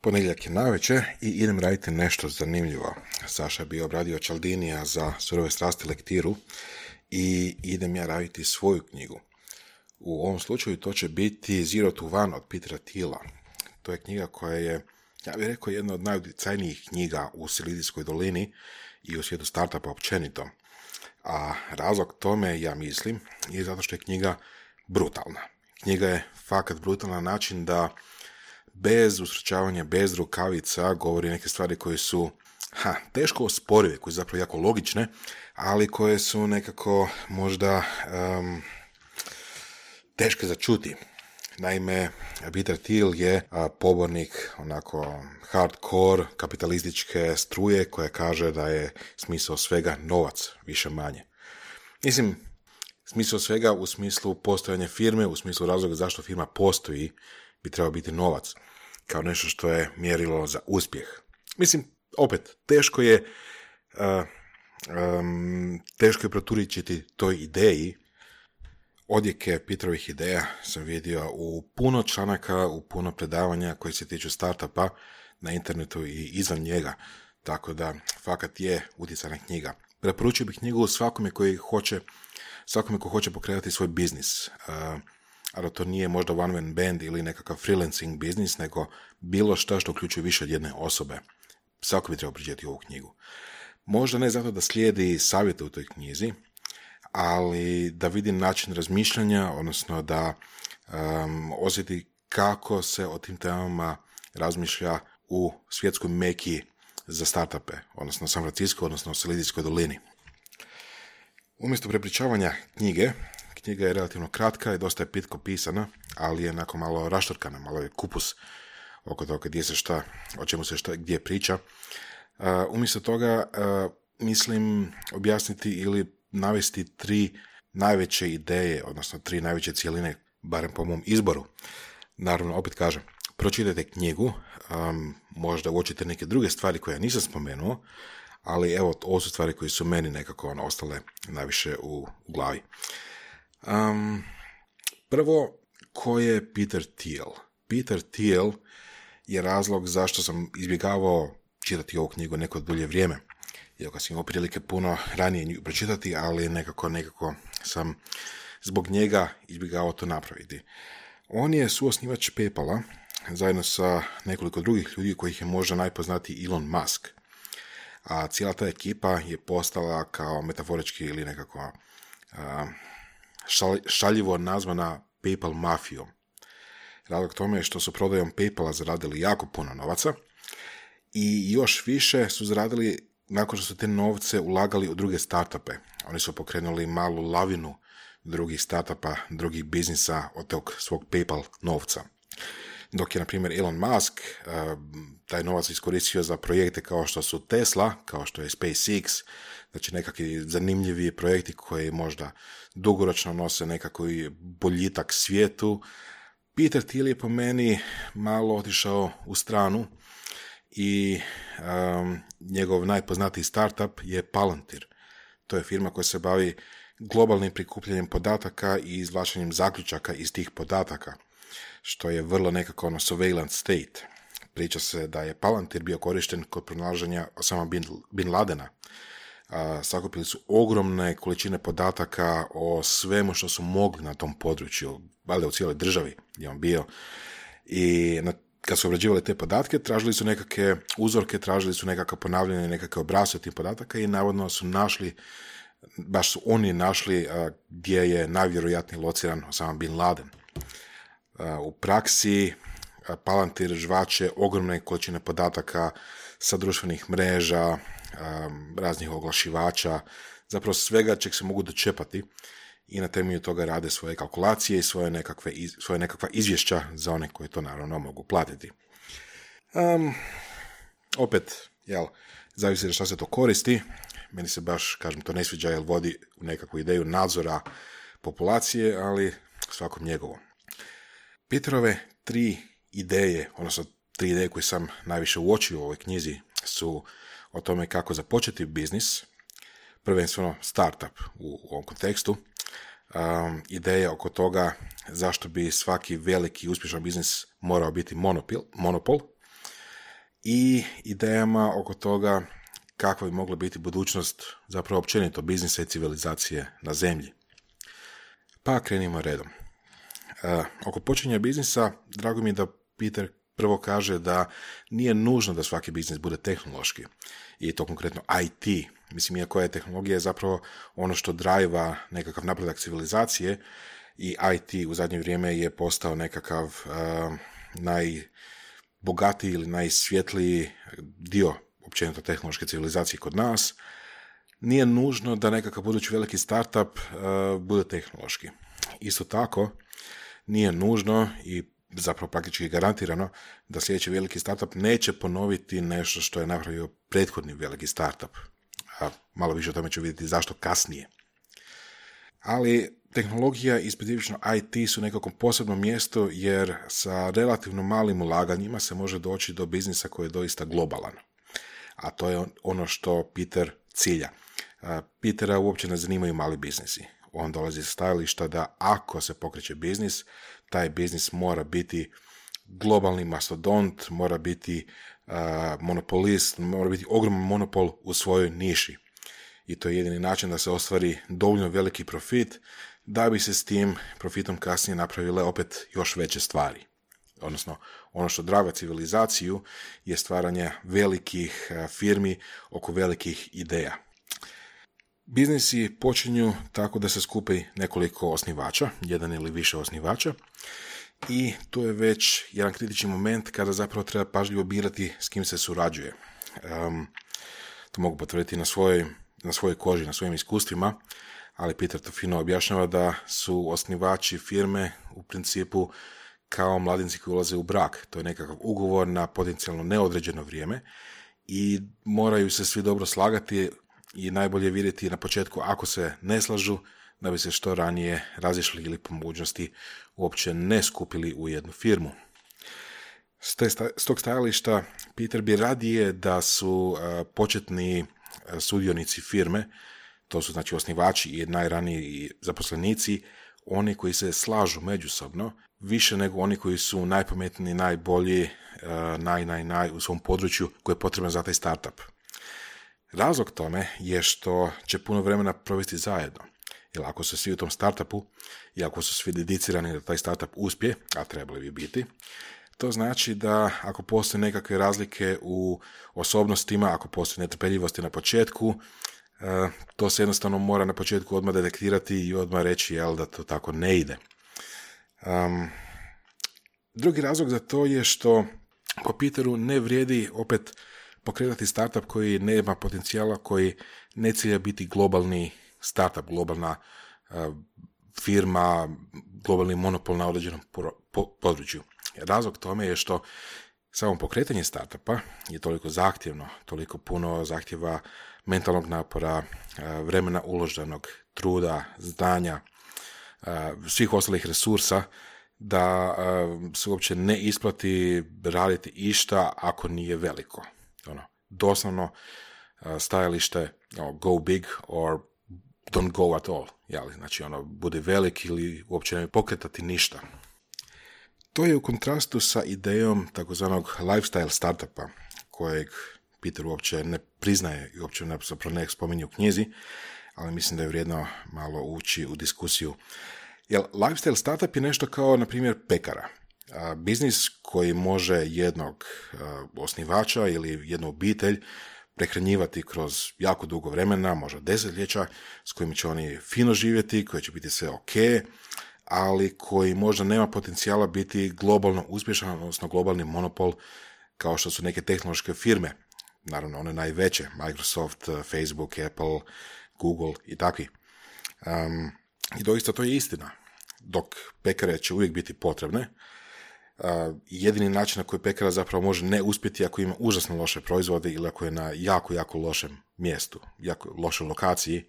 Ponedjeljak je navečer i idem raditi nešto zanimljivo. Saša je bio obradio Cialdinija za Surove strasti lektiru i idem ja raditi svoju knjigu. U ovom slučaju to će biti Zero to One od Petera Thiela. To je knjiga koja je, ja bih rekao, jedna od najutjecajnijih knjiga u Silizijskoj dolini i u svijetu startupa općenito. A razlog tome, ja mislim, je zato što je knjiga brutalna. Knjiga je fakat brutalna na način da bez usrećavanja, bez rukavica govori neke stvari koje su teško osporive, koje su zapravo jako logične, ali koje su nekako možda teške za čuti. Naime, Peter Thiel je pobornik onako hardcore kapitalističke struje koja kaže da je smisao svega novac, više manje. Mislim, smisao svega u smislu postojanja firme, u smislu razloga zašto firma postoji, bi trebao biti novac, kao nešto što je mjerilo za uspjeh. Mislim, opet, teško je proturičiti toj ideji. Odjeke Peterovih ideja sam vidio u puno članaka, u puno predavanja koji se tiču startupa na internetu i izvan njega, tako da fakat je utjecajna knjiga. Preporučio bih knjigu svakome ko hoće pokrenuti svoj biznis, ali to nije možda one man band ili nekakav freelancing biznis, nego bilo što uključuje više od jedne osobe. Svako bi trebao pročitati ovu knjigu. Možda ne zato da slijedi savjete u toj knjizi, ali da vidi način razmišljanja, odnosno da osjeti kako se o tim temama razmišlja u svjetskoj meki za startupe, odnosno San Francisco, odnosno Silizijskoj dolini. Umjesto prepričavanja knjiga je relativno kratka i dosta je pitko pisana, ali je onako malo raštorkana, malo je kupus oko toga gdje se šta, o čemu se šta, gdje priča. Umjesto toga mislim objasniti ili navesti 3 najveće ideje, odnosno 3 najveće cijeline, barem po mom izboru. Naravno, opet kažem, pročitajte knjigu, možda uočite neke druge stvari koje ja nisam spomenuo, ali evo, ovo su stvari koje su meni nekako ostale najviše u glavi. Prvo, ko je Peter Thiel? Peter Thiel je razlog zašto sam izbjegavao čitati ovu knjigu neko dulje vrijeme. Iako sam imao prilike puno ranije nju pročitati, ali nekako sam zbog njega izbjegavao to napraviti. On je suosnivač PayPala, zajedno sa nekoliko drugih ljudi kojih je možda najpoznatiji Elon Musk. A cijela ta ekipa je postala kao metaforički ili nekako šaljivo nazvana PayPal mafijom. Razlog tome je što su prodajom PayPala zaradili jako puno novaca i još više su zaradili nakon što su te novce ulagali u druge startupe. Oni su pokrenuli malu lavinu drugih startupa, drugih biznisa od tog svog PayPal novca. Dok je, na primjer, Elon Musk taj novac iskoristio za projekte kao što su Tesla, kao što je SpaceX, znači nekakvi zanimljivi projekti koji možda dugoročno nose nekakvi boljitak svijetu. Peter Thiel je po meni malo otišao u stranu i njegov najpoznatiji startup je Palantir. To je firma koja se bavi globalnim prikupljanjem podataka i izvlačenjem zaključaka iz tih podataka, što je vrlo nekako surveillance state. Priča se da je Palantir bio korišten kod pronalaženja Osama bin Ladena. Sakupili su ogromne količine podataka o svemu što su mogli na tom području, valjda u cijeloj državi gdje on bio. I kad su obrađivali te podatke, tražili su nekakve uzorke, tražili su nekakve ponavljanje, nekakve obrasce tih podataka i navodno su našli, baš su oni našli gdje je najvjerojatnije lociran Osama bin Laden. U praksi Palantir žvače ogromne količine podataka sa društvenih mreža, raznih oglašivača, zapravo svega čeg se mogu dočepati i na temelju toga rade svoje kalkulacije i svoje nekakva izvješća za one koji to naravno mogu platiti. Opet, zavisi da šta se to koristi. Meni se baš, kažem, to ne sviđa jer vodi u nekakvu ideju nadzora populacije, ali svakom njegovo. Peterove 3 ideje, odnosno 3 ideje koje sam najviše uočio u ovoj knjizi su o tome kako započeti biznis, prvenstveno startup u ovom kontekstu, ideje oko toga zašto bi svaki veliki uspješan biznis morao biti monopol, i idejama oko toga kakva bi mogla biti budućnost zapravo općenito biznisa i civilizacije na zemlji. Pa krenimo redom. Oko počinja biznisa, drago mi je da Peter prvo kaže da nije nužno da svaki biznis bude tehnološki. I to konkretno IT. Mislim, iako je tehnologija zapravo ono što drajva nekakav napredak civilizacije, i IT u zadnje vrijeme je postao nekakav najbogatiji ili najsvjetliji dio općenito tehnološke civilizacije kod nas, nije nužno da nekakav budući veliki startup bude tehnološki. Isto tako, nije nužno i zapravo praktički garantirano da sljedeći veliki startup neće ponoviti nešto što je napravio prethodni veliki startup. A malo više o tome ću vidjeti zašto kasnije. Ali tehnologija i specifično IT su nekako posebno mjesto jer sa relativno malim ulaganjima se može doći do biznisa koji je doista globalan. A to je ono što Peter cilja. Petera uopće ne zanimaju mali biznisi. On dolazi sa stajališta da ako se pokreće biznis, taj biznis mora biti globalni mastodont, mora biti monopolist, mora biti ogroman monopol u svojoj niši. I to je jedini način da se ostvari dovoljno veliki profit, da bi se s tim profitom kasnije napravile opet još veće stvari. Odnosno, ono što draga civilizaciju je stvaranje velikih firmi oko velikih ideja. Biznisi počinju tako da se skupi nekoliko osnivača, jedan ili više osnivača, i tu je već jedan kritični moment kada zapravo treba pažljivo birati s kim se surađuje. To mogu potvrditi na svojoj koži, na svojim iskustvima, ali Peter to fino objašnjava da su osnivači firme u principu kao mladenci koji ulaze u brak. To je nekakav ugovor na potencijalno neodređeno vrijeme i moraju se svi dobro slagati i najbolje vidjeti na početku ako se ne slažu da bi se što ranije razišli ili po mogućnosti uopće ne skupili u jednu firmu. S tog stajališta Peter bi radije da su početni sudionici firme, to su znači osnivači i najraniji zaposlenici, oni koji se slažu međusobno, više nego oni koji su najpametniji, najbolji, naj u svom području koji je potreban za taj startup. Razlog tome je što će puno vremena provesti zajedno. Jer ako su svi u tom startupu i ako su svi dedicirani da taj startup uspije, a trebali bi biti, to znači da ako postoje nekakve razlike u osobnostima, ako postoje netrpeljivosti na početku, to se jednostavno mora na početku odmah detektirati i odmah reći da to tako ne ide. Drugi razlog za to je što po Peteru ne vrijedi opet pokretati startup koji nema potencijala, koji ne cilja biti globalni startup, globalna firma, globalni monopol na određenom području. Razlog tome je što samo pokretanje startupa je toliko zahtjevno, toliko puno zahtjeva mentalnog napora, vremena uloženog, truda, znanja, svih ostalih resursa, da se uopće ne isplati raditi išta ako nije veliko. Doslovno stajalište go big or don't go at all. Znači bude velik ili uopće ne pokretati ništa. To je u kontrastu sa idejom takozvanog lifestyle startupa, kojeg Peter uopće ne priznaje i uopće ne spominje u knjizi, ali mislim da je vrijedno malo ući u diskusiju. Jer lifestyle startup je nešto kao, na primjer, pekara. Biznis koji može jednog osnivača ili jednu obitelj prehranjivati kroz jako dugo vremena, možda desetljeća, s kojim će oni fino živjeti, koji će biti sve ok, ali koji možda nema potencijala biti globalno uspješan, odnosno globalni monopol kao što su neke tehnološke firme, naravno one najveće, Microsoft, Facebook, Apple, Google i takvi. I doista to je istina. Dok pekare će uvijek biti potrebne, jedini način na koji pekara zapravo može ne uspjeti ako ima užasno loše proizvode ili ako je na jako, jako lošem mjestu, jako lošoj lokaciji.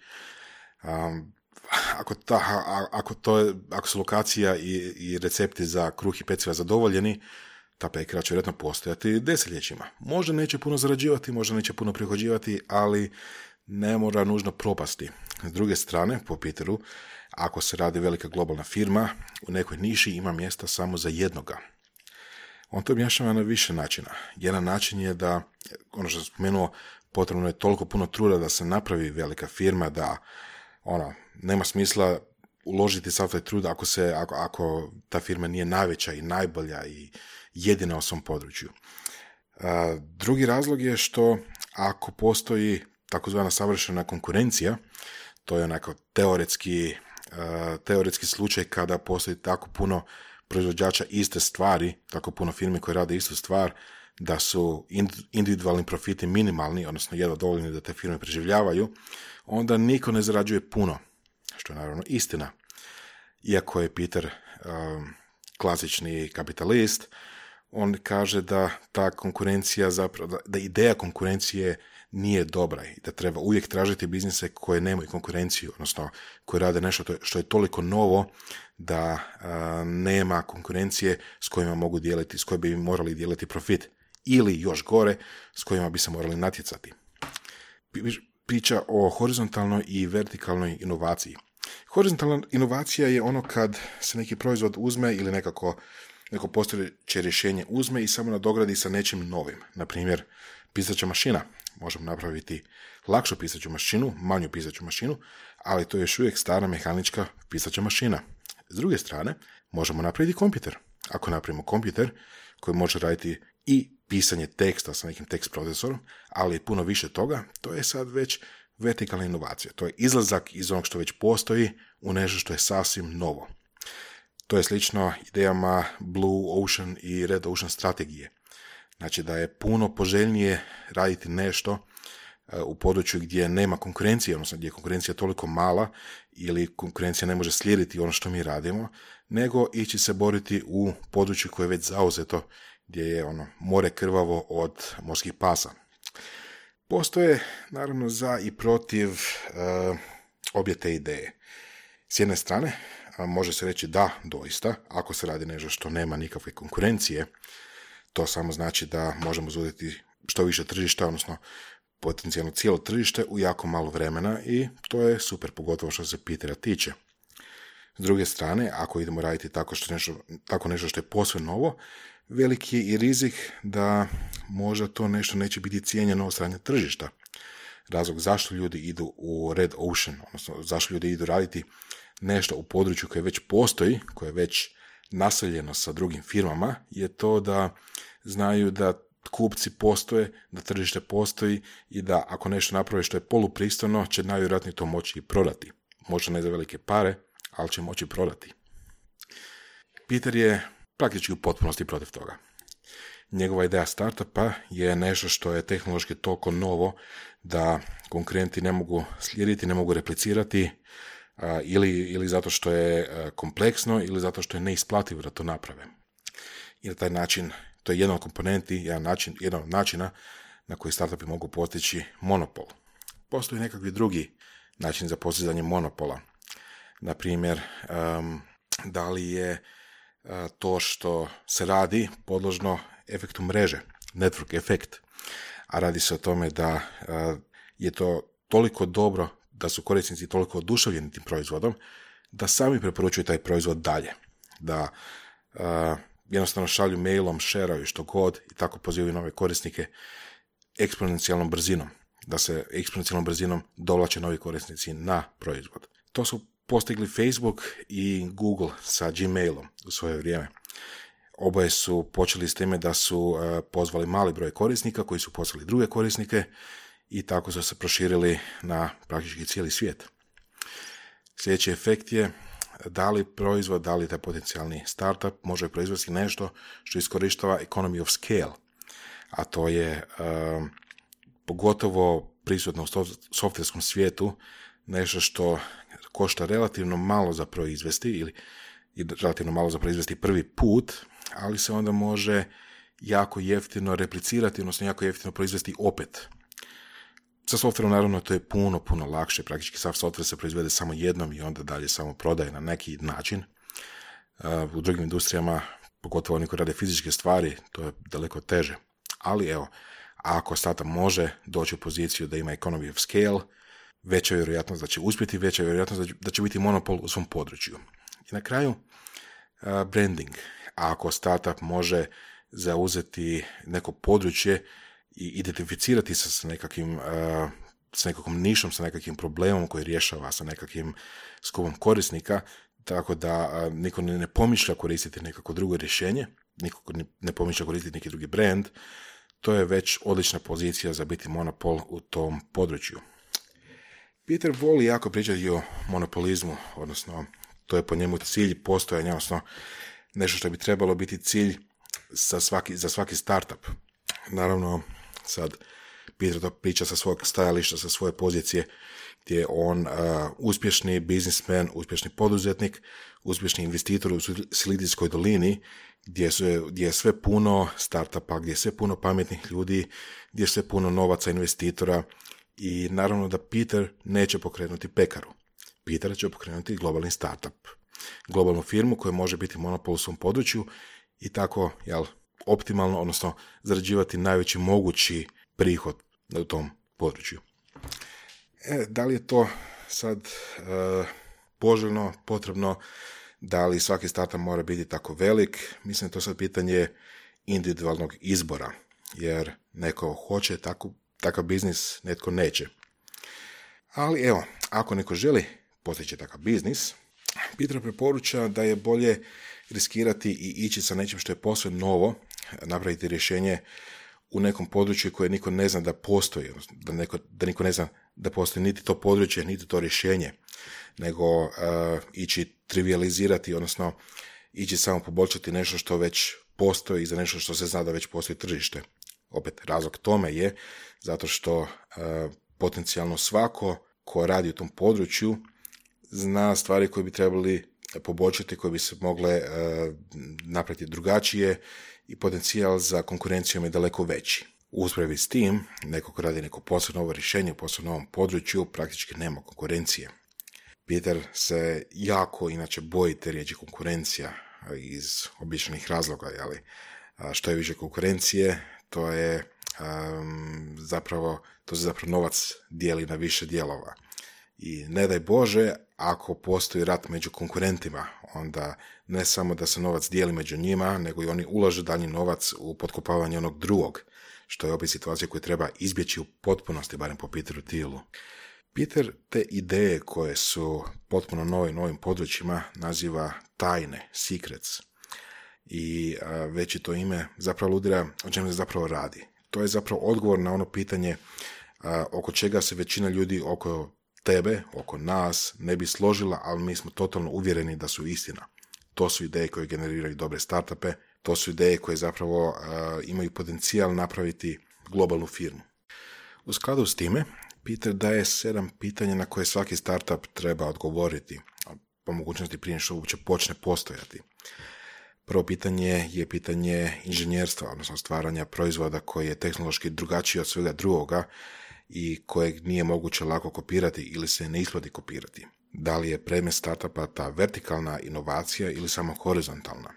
Ako su lokacija i recepti za kruh i peciva zadovoljeni, ta pekara će vjerojatno postojati desetljećima. Možda neće puno zarađivati, možda neće puno prihođivati, ali ne mora nužno propasti. S druge strane, po Peteru, ako se radi velika globalna firma, u nekoj niši ima mjesta samo za jednoga. On to objašnjava na više načina. Jedan način je da, ono što sam spomenuo, potrebno je toliko puno truda da se napravi velika firma da nema smisla uložiti sav taj trud ako ta firma nije najveća i najbolja i jedina u svom području. Drugi razlog je što ako postoji takozvana savršena konkurencija, to je onako teoretski slučaj kada postoji tako puno proizvođača iste stvari, tako puno firme koje rade istu stvar, da su individualni profiti minimalni, odnosno jedva dovoljni da te firme preživljavaju, onda niko ne zarađuje puno, što je naravno istina. Iako je Peter klasični kapitalist, on kaže da ta konkurencija zapravo, da ideja konkurencije nije dobra i da treba uvijek tražiti biznise koje nemaju konkurenciju, odnosno koje rade nešto što je toliko novo da nema konkurencije s kojima mogu dijeliti, s kojima bi morali dijeliti profit. Ili još gore, s kojima bi se morali natjecati. Priča o horizontalnoj i vertikalnoj inovaciji. Horizontalna inovacija je ono kad se neki proizvod uzme ili neko postojeće rješenje uzme i samo nadogradi sa nečim novim. Na primjer, pisaća mašina. Možemo napraviti lakšu pisaću mašinu, manju pisaću mašinu, ali to je još uvijek stara mehanička pisaća mašina. S druge strane, možemo napraviti kompjuter. Ako napravimo kompjuter koji može raditi i pisanje teksta sa nekim tekst procesorom, ali i puno više toga, to je sad već vertikalna inovacija. To je izlazak iz onog što već postoji u nešto što je sasvim novo. To je slično idejama Blue Ocean i Red Ocean strategije. Znači da je puno poželjnije raditi nešto u području gdje nema konkurencije, odnosno gdje je konkurencija toliko mala ili konkurencija ne može slijediti ono što mi radimo, nego ići se boriti u području koje je već zauzeto, gdje je more krvavo od morskih pasa. Postoje, naravno, za i protiv obje te ideje. S jedne strane, može se reći da, doista, ako se radi nešto što nema nikakve konkurencije, to samo znači da možemo zauzeti što više tržišta, odnosno potencijalno cijelo tržište u jako malo vremena i to je super, pogotovo što se Petera tiče. S druge strane, ako idemo raditi tako nešto što je posve novo, veliki je i rizik da možda to nešto neće biti cijenjeno od strane tržišta. Razlog zašto ljudi idu u Red Ocean, odnosno zašto ljudi idu raditi nešto u području koje već postoji, koje je već naseljeno sa drugim firmama, je to da znaju da kupci postoje, da tržište postoji i da ako nešto naprave što je polupristojno, će najvjerojatnije to moći i prodati. Možda ne za velike pare, ali će moći prodati. Peter je praktički u potpunosti protiv toga. Njegova ideja startupa je nešto što je tehnološki toliko novo da konkurenti ne mogu slijediti, ne mogu replicirati ili zato što je kompleksno ili zato što je neisplativo da to naprave. I na taj način, to je jedan od komponenti, jedan od načina na koji startupi mogu postići monopol. Postoji nekakvi drugi način za postizanje monopola. Na primjer, da li je to što se radi podložno efektu mreže, network efekt, a radi se o tome da je to toliko dobro, da su korisnici toliko oduševljeni tim proizvodom, da sami preporučuju taj proizvod dalje, da jednostavno šalju mailom, shareaju što god i tako pozivaju nove korisnike eksponencijalnom brzinom, da se eksponencijalnom brzinom dovlače novi korisnici na proizvod. To su postigli Facebook i Google sa Gmailom u svoje vrijeme. Oboje su počeli s time da su pozvali mali broj korisnika koji su poslali druge korisnike i tako su se proširili na praktički cijeli svijet. Sljedeći efekt je da li proizvod, da li taj potencijalni startup može proizvesti nešto što iskorištava economy of scale, a to je pogotovo prisutno u softverskom svijetu nešto što košta relativno malo za proizvesti ili relativno malo za proizvesti prvi put, ali se onda može jako jeftino replicirati, odnosno jako jeftino proizvesti opet. Sa softverom naravno to je puno lakše, praktički sav softver se proizvede samo jednom i onda dalje samo prodaje na neki način. U drugim industrijama, pogotovo oni koji rade fizičke stvari, to je daleko teže. Ali evo, ako startup može doći u poziciju da ima economy of scale, veća je vjerojatnost da će uspjeti, veća je vjerojatnost da će biti monopol u svom području. I na kraju, branding. Ako startup može zauzeti neko područje i identificirati se sa nekakvom nišom, sa nekakvim problemom koji rješava, sa nekakvim skupom korisnika, tako da niko ne pomišlja koristiti nekako drugo rješenje, niko ne pomišlja koristiti neki drugi brand. To je već odlična pozicija za biti monopol u tom području. Peter voli jako pričati o monopolizmu, odnosno to je po njemu cilj postojanja, odnosno nešto što bi trebalo biti cilj za svaki startup. Naravno, sad Peter to priča sa svog stajališta, sa svoje pozicije, gdje je on uspješni biznismen, uspješni poduzetnik, uspješni investitor u Silizijskoj dolini, gdje je sve puno startupa, gdje je sve puno pametnih ljudi, gdje je sve puno novaca investitora i naravno da Peter neće pokrenuti pekaru. Peter će pokrenuti globalni startup, globalnu firmu koja može biti monopol u svom području i tako optimalno, odnosno zarađivati najveći mogući prihod u tom području. Da li je to sad poželjno, potrebno, da li svaki startup mora biti tako velik? Mislim da je to sad pitanje individualnog izbora, jer neko hoće takav biznis, netko neće. Ali evo, ako neko želi postići takav biznis, Peter preporuča da je bolje riskirati i ići sa nečim što je posve novo, napraviti rješenje u nekom području koje niko ne zna da postoji, da niko ne zna da postoji niti to područje, niti to rješenje, nego ići trivializirati, odnosno ići samo poboljšati nešto što već postoji za nešto što se zna da već postoji tržište. Opet, razlog tome je zato što potencijalno svako ko radi u tom području zna stvari koje bi trebali poboljšati, koje bi se mogle napraviti drugačije i potencijal za konkurencijom je daleko veći. U usporedbi s tim, neko ko radi neko posebno novo rješenje u posebno novom području, praktički nema konkurencije. Peter se jako inače boji te riječi konkurencija iz običajnih razloga, što je više konkurencije, to se zapravo novac dijeli na više dijelova. I ne daj Bože, ako postoji rat među konkurentima, onda ne samo da se novac dijeli među njima, nego i oni ulažu dalji novac u potkopavanje onog drugog, što je opet situacija koju treba izbjeći u potpunosti, barem po Peteru Thielu. Peter te ideje koje su potpuno novim područjima naziva tajne, secrets. I već to ime zapravo aludira o čemu se zapravo radi. To je zapravo odgovor na ono pitanje oko čega se većina ljudi oko tebe, oko nas, ne bi složila, ali mi smo totalno uvjereni da su istina. To su ideje koje generiraju dobre startupe, to su ideje koje zapravo imaju potencijal napraviti globalnu firmu. U skladu s time, Peter daje 7 pitanja na koje svaki startup treba odgovoriti, po mogućnosti prije što uopće počne postojati. Prvo pitanje je pitanje inženjerstva, odnosno stvaranja proizvoda koji je tehnološki drugačiji od svega drugoga i kojeg nije moguće lako kopirati ili se ne isplati kopirati. Da li je predmet startupa ta vertikalna inovacija ili samo horizontalna?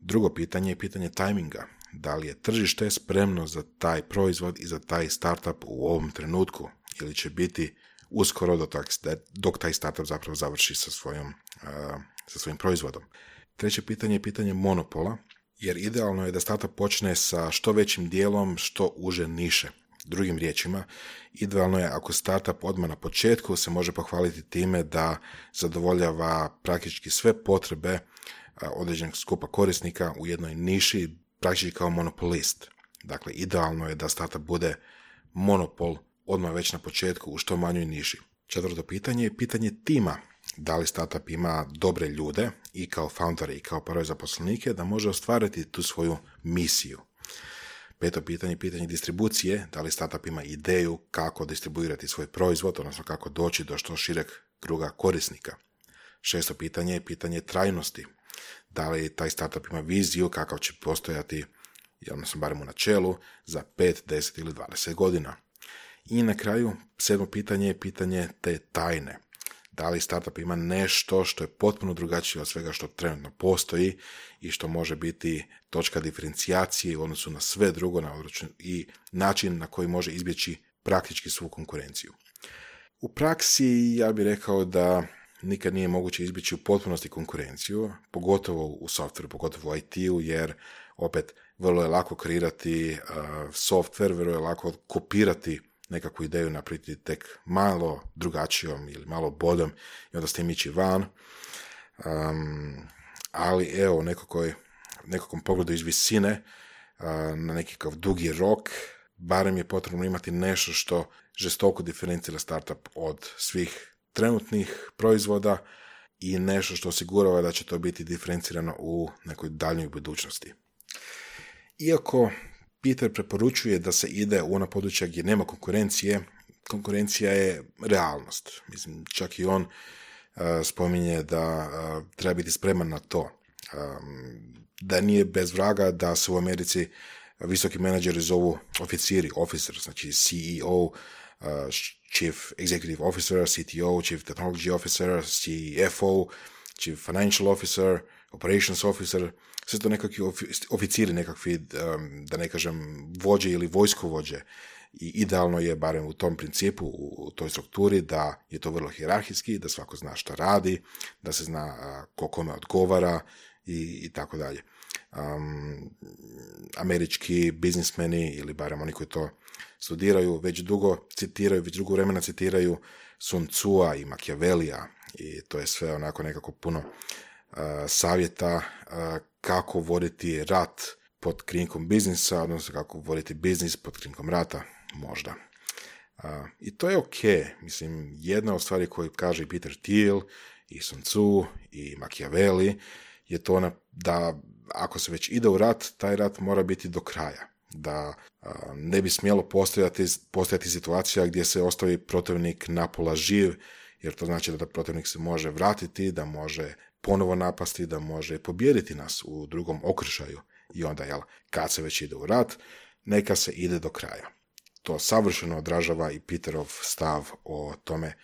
Drugo pitanje je pitanje tajminga. Da li je tržište spremno za taj proizvod i za taj startup u ovom trenutku ili će biti uskoro dok taj startup zapravo završi sa svojim proizvodom. Treće pitanje je pitanje monopola, jer idealno je da startup počne sa što većim dijelom, što uže niše. Drugim riječima, idealno je ako startup odmah na početku se može pohvaliti time da zadovoljava praktički sve potrebe određenog skupa korisnika u jednoj niši, praktički kao monopolist. Dakle, idealno je da startup bude monopol odmah već na početku u što manjoj niši. Četvrto pitanje je pitanje tima. Da li startup ima dobre ljude i kao foundere i kao prve zaposlenike da može ostvariti tu svoju misiju. Peto pitanje je pitanje distribucije. Da li startup ima ideju kako distribuirati svoj proizvod, odnosno kako doći do što šireg kruga korisnika. Šesto pitanje je pitanje trajnosti. Da li taj startup ima viziju kakav će postojati, odnosno barem u načelu, za 5, 10 ili 20 godina. I na kraju, 7. pitanje je pitanje te tajne. Da li startup ima nešto što je potpuno drugačije od svega što trenutno postoji i što može biti točka diferencijacije u odnosu na sve drugo i način na koji može izbjeći praktički svu konkurenciju. U praksi ja bih rekao da nikad nije moguće izbjeći u potpunosti konkurenciju, pogotovo u softveru, pogotovo u IT-u, jer opet vrlo je lako kreirati software, vrlo je lako kopirati nekakvu ideju, napraviti tek malo drugačijom ili malo bodom i onda s tim ići van. Ali evo, u nekakvom pogledu iz visine, na nekakav dugi rok, barem je potrebno imati nešto što žestoko diferencira startup od svih trenutnih proizvoda i nešto što osigurava da će to biti diferencirano u nekoj daljnjoj budućnosti. Iako Peter preporučuje da se ide u ona područja gdje nema konkurencije, konkurencija je realnost. Mislim, čak i on spominje da treba biti spreman na to. Da nije bez vraga da se u Americi visoki menadžeri zovu oficiri, officer, znači CEO, Chief Executive Officer, CTO, Chief Technology Officer, CFO, Chief Financial Officer, Operations Officer, sve to nekakvi oficiri, nekakvi, da ne kažem, vođe ili vojskovođe. I idealno je, barem u tom principu, u toj strukturi, da je to vrlo hijerarhijski, da svako zna šta radi, da se zna ko kome odgovara i tako dalje. Američki biznismeni, ili barem oni koji to studiraju, već dugo vremena citiraju Sun Tsua i Machiavellija, i to je sve onako nekako puno savjeta kako voditi rat pod krinkom biznisa, odnosno kako voditi biznis pod krinkom rata, možda. I to je ok. Mislim, jedna od stvari koju kaže i Peter Thiel, i Sun Tzu, i Machiavelli, je to da ako se već ide u rat, taj rat mora biti do kraja. Da ne bi smjelo postojati situacija gdje se ostavi protivnik napola živ, jer to znači da protivnik se može vratiti, da može ponovo napasti, da može pobijediti nas u drugom okršaju. I onda, kad se već ide u rat, neka se ide do kraja. To savršeno odražava i Peterov stav o tome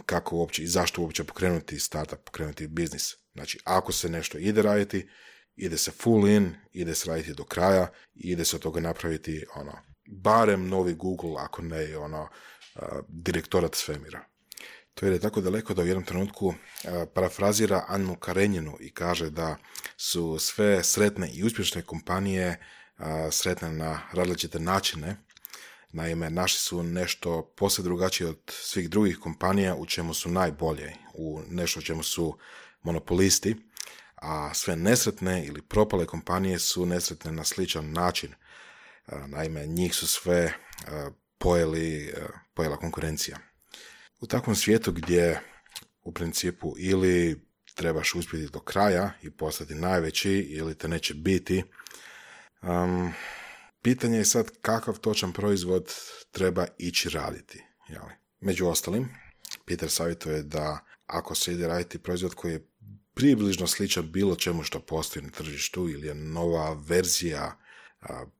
kako uopće i zašto uopće pokrenuti startup, pokrenuti biznis. Znači, ako se nešto ide raditi, ide se full in, ide se raditi do kraja i ide se od toga napraviti barem novi Google, ako ne direktorat svemira. To je tako daleko da u jednom trenutku parafrazira Annu Karenjinu i kaže da su sve sretne i uspješne kompanije sretne na različite načine. Naime, naši su nešto posve drugačije od svih drugih kompanija u čemu su najbolje, u nešto u čemu su monopolisti, a sve nesretne ili propale kompanije su nesretne na sličan način. Naime, njih su sve pojela konkurencija. U takvom svijetu gdje u principu ili trebaš uspjeti do kraja i postati najveći ili te neće biti, pitanje je sad kakav točan proizvod treba ići raditi. Jeli? Među ostalim, Peter savjetuje da ako se ide raditi proizvod koji je približno sličan bilo čemu što postoji na tržištu ili je nova verzija,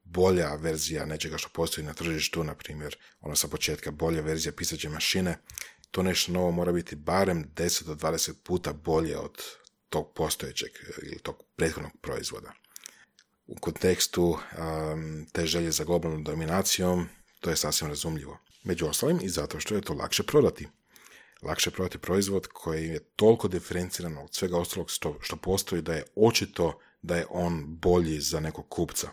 bolja verzija nečega što postoji na tržištu, na primjer, sa početka bolja verzija pisaće mašine, to nešto novo mora biti barem 10 do 20 puta bolje od tog postojećeg ili tog prethodnog proizvoda. U kontekstu te želje za globalnom dominacijom, to je sasvim razumljivo. Među ostalim i zato što je to lakše prodati. Lakše prodati proizvod koji je toliko diferenciran od svega ostalog što postoji da je očito da je on bolji za nekog kupca.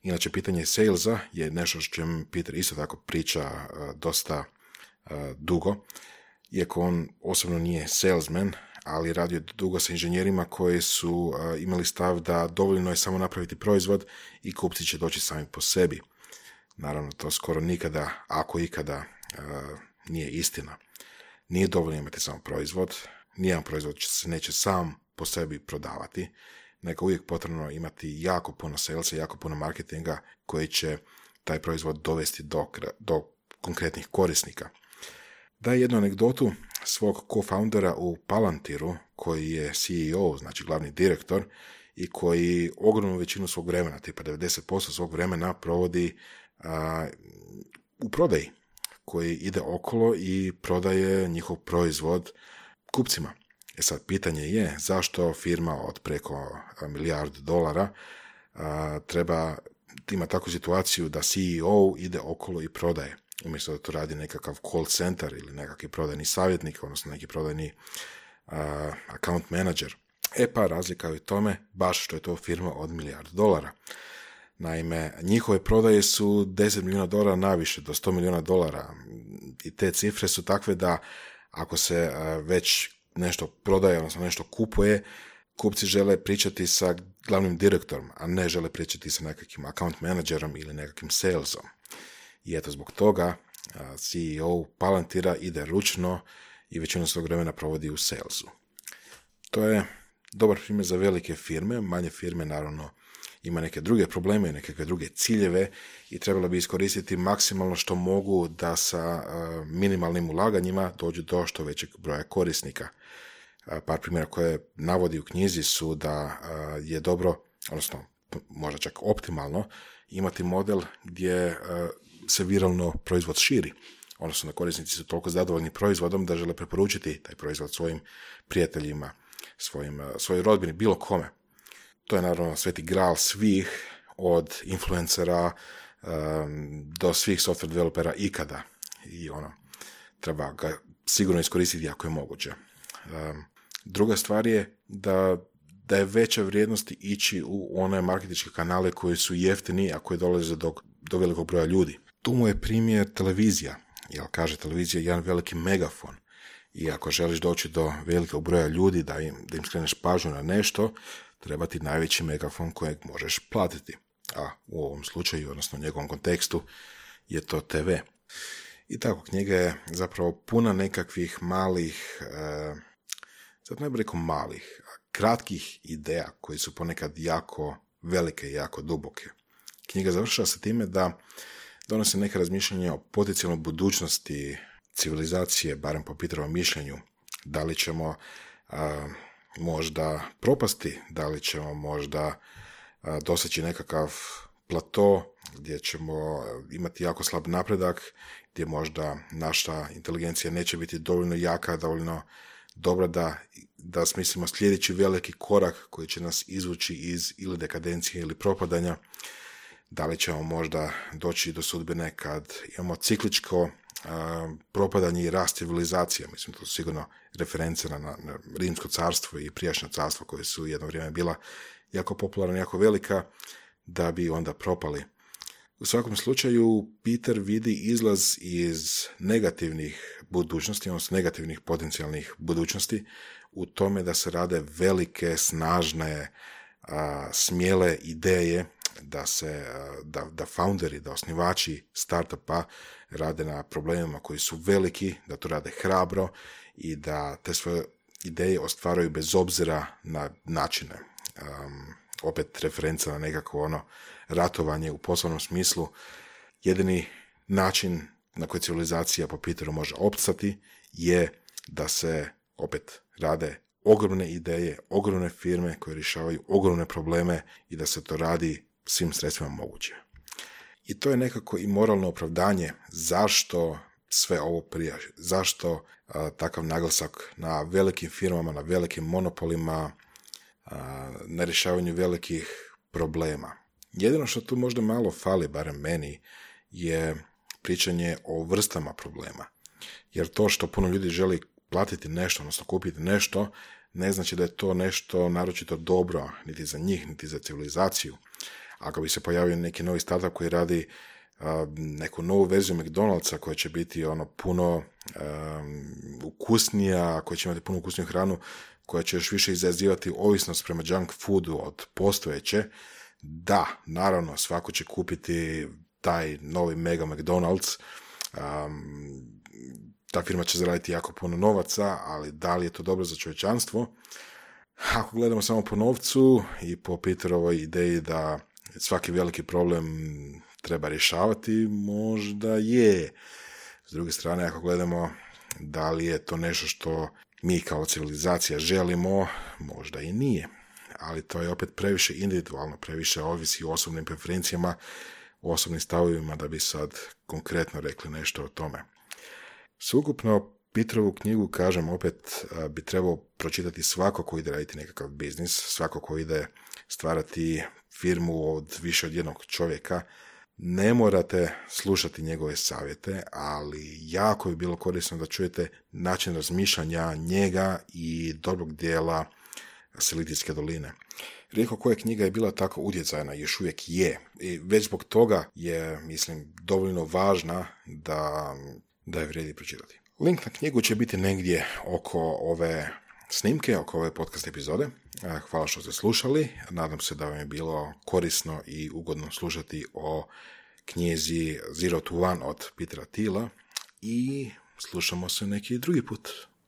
Inače, pitanje salesa je nešto što čem Peter isto tako priča dosta dugo, iako on osobno nije salesman, ali radio dugo sa inženjerima koji su imali stav da dovoljno je samo napraviti proizvod i kupci će doći sami po sebi. Naravno, to skoro nikada, ako ikada, nije istina. Nije dovoljno imati samo proizvod, nijedan proizvod se neće sam po sebi prodavati, nego uvijek potrebno imati jako puno salesa, jako puno marketinga koji će taj proizvod dovesti do konkretnih korisnika. Daje jednu anegdotu svog co-foundera u Palantiru, koji je CEO, znači glavni direktor, i koji ogromnu većinu svog vremena, tipa 90% svog vremena provodi u prodaji, koji ide okolo i prodaje njihov proizvod kupcima. Sad, pitanje je zašto firma od preko $1 milijardu ima takvu situaciju da CEO ide okolo i prodaje, umjesto da to radi nekakav call center ili nekakvi prodajni savjetnik, odnosno neki prodajni account manager. Pa razlika je u tome baš što je to firma od $1 milijardu. Naime, njihove prodaje su $10 milijuna naviše, do $100 milijuna. I te cifre su takve da ako se već nešto prodaje, odnosno nešto kupuje, kupci žele pričati sa glavnim direktorom, a ne žele pričati sa nekakvim account managerom ili nekakvim salesom. I eto zbog toga CEO Palantira ide ručno i većinu svog vremena provodi u salesu. To je dobar primjer za velike firme, manje firme naravno ima neke druge probleme, neke druge ciljeve i trebalo bi iskoristiti maksimalno što mogu da sa minimalnim ulaganjima dođu do što većeg broja korisnika. Par primjera koje navodi u knjizi su da je dobro, odnosno možda čak optimalno, imati model gdje se viralno proizvod širi. Odnosno da korisnici su toliko zadovoljni proizvodom da žele preporučiti taj proizvod svojim prijateljima, svojoj rodbini, bilo kome. To je naravno sveti gral svih, od influencera do svih software developera ikada. I treba ga sigurno iskoristiti ako je moguće. Druga stvar je da je veća vrijednost ići u one marketinške kanale koji su jeftini, a koji dolaze do velikog broja ljudi. Tu mu je primjer televizija, jer kaže televizija je jedan veliki megafon. I ako želiš doći do velikog broja ljudi, da im skreneš pažnju na nešto, treba ti najveći megafon kojeg možeš platiti. A u ovom slučaju, odnosno u njegovom kontekstu, je to TV. I tako, knjiga je zapravo puna nekakvih malih, sad ne bih rekao malih, kratkih ideja koji su ponekad jako velike i jako duboke. Knjiga završava sa time da donose neke razmišljanja o potencijalnoj budućnosti civilizacije, barem po Peterovom mišljenju. Da li ćemo možda propasti, da li ćemo možda doseći nekakav plato gdje ćemo imati jako slab napredak, gdje možda naša inteligencija neće biti dovoljno jaka, dovoljno dobra da smislimo sljedeći veliki korak koji će nas izvući iz ili dekadencije ili propadanja. Da li ćemo možda doći do sudbine kad imamo cikličko propadanje i rast civilizacija. Mislim, to su sigurno reference na Rimsko carstvo i prijašnja carstva koje su jedno vrijeme bila jako popularna, jako velika, da bi onda propali. U svakom slučaju, Peter vidi izlaz iz negativnih budućnosti, odnosno negativnih potencijalnih budućnosti, u tome da se rade velike, snažne, smjele ideje, da founderi, da osnivači startupa rade na problemima koji su veliki, da to rade hrabro i da te svoje ideje ostvaraju bez obzira na načine. Opet referenca na nekako ratovanje u poslovnom smislu. Jedini način na koji civilizacija po Peteru može opstati je da se opet rade ogromne ideje, ogromne firme koje rješavaju ogromne probleme i da se to radi svim sredstvima moguće. I to je nekako i moralno opravdanje zašto sve ovo prija, zašto takav naglasak na velikim firmama, na velikim monopolima, na rješavanju velikih problema. Jedino što tu možda malo fali, barem meni, je pričanje o vrstama problema. Jer to što puno ljudi želi platiti nešto, odnosno kupiti nešto, ne znači da je to nešto naročito dobro, niti za njih, niti za civilizaciju. Ako bi se pojavio neki novi startup koji radi neku novu verziju McDonald'sa koja će biti puno ukusnija, koja će imati puno ukusniju hranu, koja će još više izazivati ovisnost prema junk foodu od postojeće, da, naravno, svako će kupiti taj novi mega McDonald's, ta firma će zaraditi jako puno novaca, ali da li je to dobro za čovječanstvo? Ako gledamo samo po novcu i po Peterovoj ideji da svaki veliki problem treba rješavati, možda je. S druge strane, ako gledamo da li je to nešto što mi kao civilizacija želimo, možda i nije. Ali to je opet previše individualno, previše ovisi o osobnim preferencijama, o osobnim stavovima da bi sad konkretno rekli nešto o tome. Sveukupno, Peterovu knjigu, kažem, opet bi trebao pročitati svako ko ide raditi nekakav biznis, svako ko ide stvarati firmu od više od jednog čovjeka. Ne morate slušati njegove savjete, ali jako bi bilo korisno da čujete način razmišljanja njega i dobrog dijela Silitijske doline. Rijetko koja knjiga je bila tako utjecajna, još uvijek je. I već zbog toga je, mislim, dovoljno važna da je vrijedi pročitati. Link na knjigu će biti negdje oko ove snimke, oko ove podcast epizode. Hvala što ste slušali. Nadam se da vam je bilo korisno i ugodno slušati o knjizi Zero to One od Petera Thiela i slušamo se neki drugi put.